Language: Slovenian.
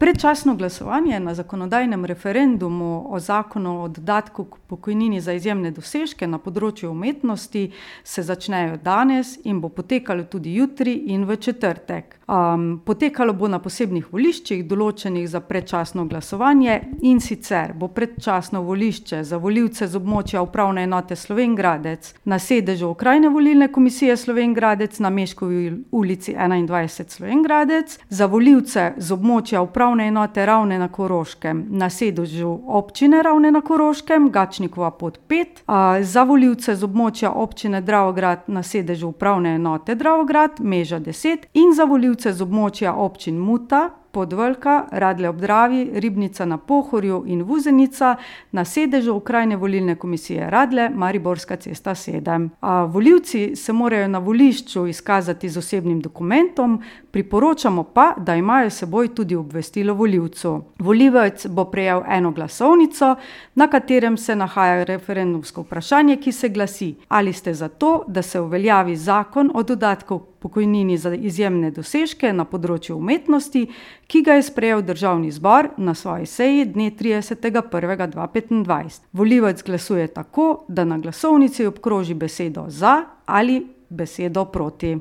Predčasno glasovanje na zakonodajnem referendumu o zakonu o dodatku k pokojnini za izjemne dosežke na področju umetnosti se začnejo danes in bo potekalo tudi jutri in v četrtek. Potekalo bo na posebnih voliščih, določenih za predčasno glasovanje, in sicer bo predčasno volišče za volivce z območja Upravne enote Slovenj Gradec na sedežu Okrajne volilne komisije Slovenj Gradec na Meškovi ulici 21 Slovenj Gradec, za volivce z območja Upravne enote Ravne na Koroškem na sedežu občine Ravne na Koroškem, Gačnikova pot 5, za volivce z območja občine Dravograd na sedežu Upravne enote Dravograd, Meža 10 in za volivce z območja občin Muta, Podvlka, Radlje ob Dravi, Ribnica na Pohorju in Vuzenica na sedežu Okrajne volilne komisije Radlje, Mariborska cesta 7. Volivci se morajo na volišču izkazati z osebnim dokumentom, priporočamo pa, da imajo s seboj tudi obvestilo volivcu. Volivec bo prejel eno glasovnico, na katerem se nahaja referendumsko vprašanje, ki se glasi: ali ste za to, da se uveljavi zakon o dodatku pokojnini za izjemne dosežke na področju umetnosti, ki ga je sprejel Državni zbor na svoji seji dne 30. 1. 2025. Volivec glasuje tako, da na glasovnici obkroži besedo za ali besedo proti.